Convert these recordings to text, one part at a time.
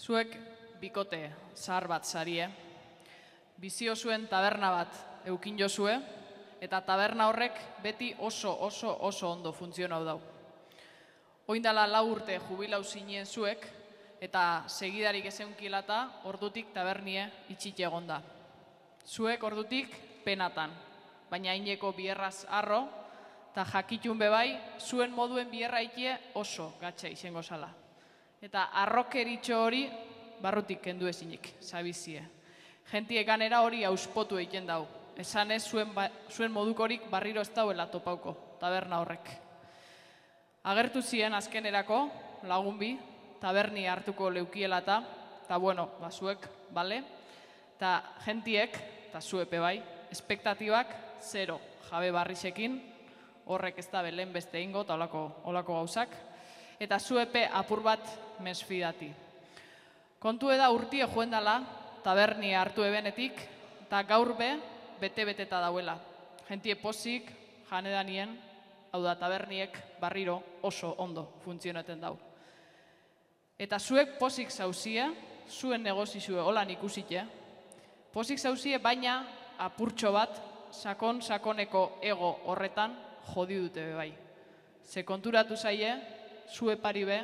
Zuek bikote zahar bat zarie, bizio zuen taberna bat eukin jozue, eta taberna horrek beti oso ondo funtzionau dau. Oindala 4 urte jubilau zinen zuek, eta segidarik ezeunkilata ordutik tabernie itxite egonda. Zuek ordutik penatan, baina ineko bierraz arro, eta jakitun bebai, zuen moduen bierra ikie oso gatxa izango zala. Eta arrokeritxo hori barrutik kendu ezinik, zabizie. Gentie ganera hori auspotu egiten dau. Esan ez zuen modukorik barriro ez dauela topauko, taberna horrek. Agertu ziren azkenerako, lagun bi, taberni hartuko leukiela eta bueno, zuek, bale? Eta gentiek, eta zuepe bai, espektatibak 0 jabe barrixekin, horrek ez da belen beste ingo eta olako gauzak, eta zuepe apur bat mesfidati. Kontu eda urtie joen dela, taberni hartu ebenetik, eta gaur bete-beteta dauela. Gentie pozik, janedanien, hau da taberniek barriro oso ondo funtzionaten dau. Eta zuek pozik zauzie, zuen negozizue holan ikusite, pozik zauzie baina apurtxo bat sakoneko ego horretan jodi dute bebai. Ze konturatu zaie, zue pari be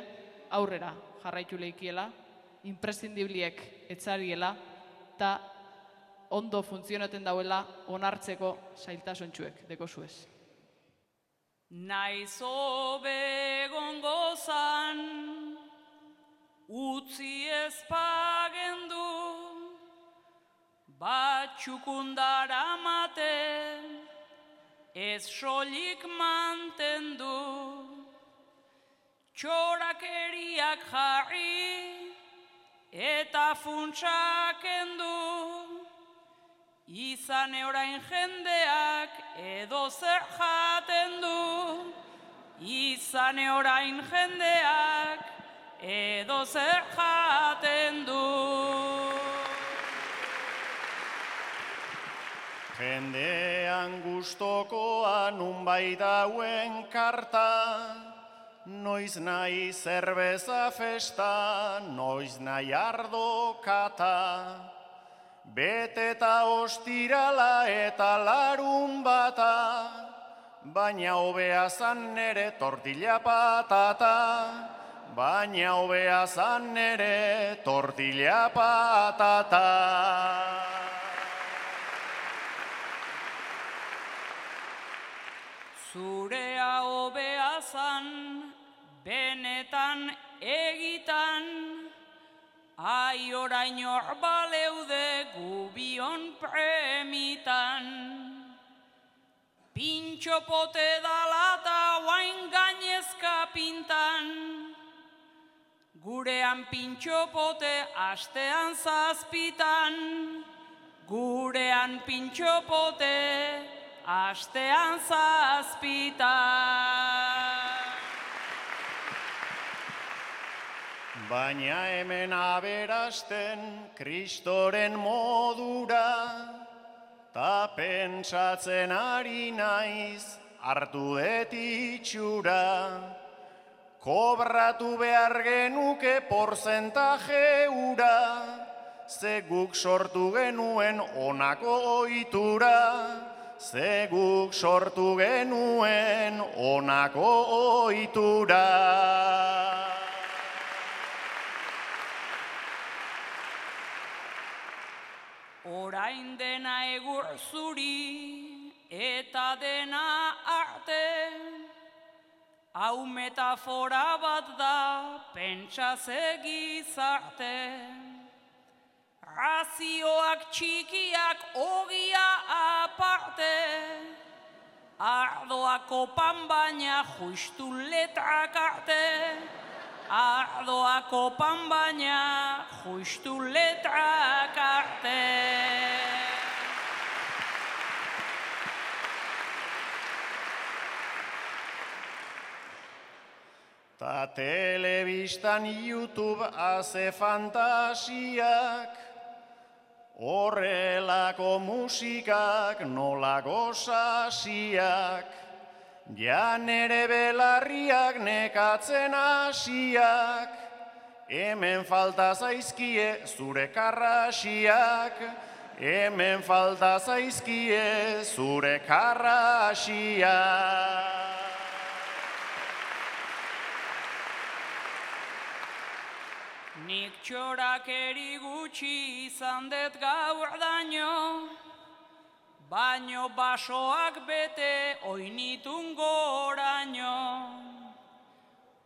aurrera jarraitu leikiela, imprescindibliek etzariela, eta ondo funtzionaten dauela onartzeko zailtasuntxuek deko zuez. Naiz hobe gongozan, utzi ezpagendu, batxukundara maten, ez solik mantendu, txorakeriak jarri, eta funtsak endu, izan orain jendeak edo zer jaten du, izan orain jendeak edo zer jaten du. Jendean gustokoa nunbait dauen karta, noiz nahi zerbeza festa, noiz nahi ardo kata. Beteta ostirala eta larun bata, baina hobea zan nere tortilla patata, baina hobea zan nere tortilla patata. Zurea hobea zan, benetan egitan, ai orain hor baleude gubion premitan. Pintxo pote dalata guain gainezka pintan, gurean pintxo pote astean zazpitan, gurean pintxo pote astean zazpitan. Baina hemen aberasten kristoren modura, ta pentsatzen ari naiz hartu det itxura. Kobratu behar genuke porzentaje ura, ze guk sortu genuen honako ohitura, ze guk sortu genuen honako ohitura. Orain dena egur zuri eta dena arte, hau metafora bat da pentsa ze gizarte. Razioak txikiak ogia aparte, ardoak opan baina justu letrak arte, ardoak opan baina justu letrak arte. Ta telebistan YouTube haze fantasiak, horrelako musikak nolako sasiak, ja nere belarriak nekatzen hasiak, hemen falta zaizkie zure karrasiak, hemen falta zaizkie zure karrasiak. Nik txorakeri gutxi izan dut gaur daño, baino basoak bete oinitun goraino.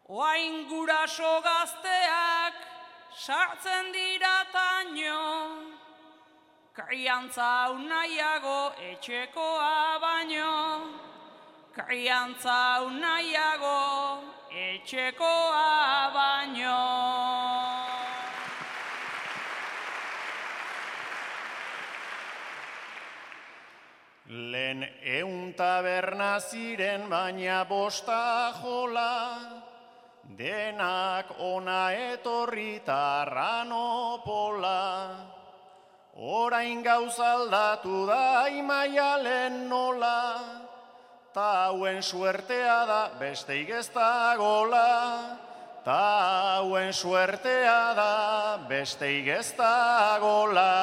Oain guraso gazteak sartzen dira taino, kriantza hau nahiago etxekoa baino, kriantza hau nahiago etxekoa baino. Lehen 100 taberna ziren baina 5 jola, denak ona etorri tarranopola. Orain gauza aldatu da Imaialen nola, ta hauen suertea da besteik ez dagola, ta hauen suertea da besteik ez dagola.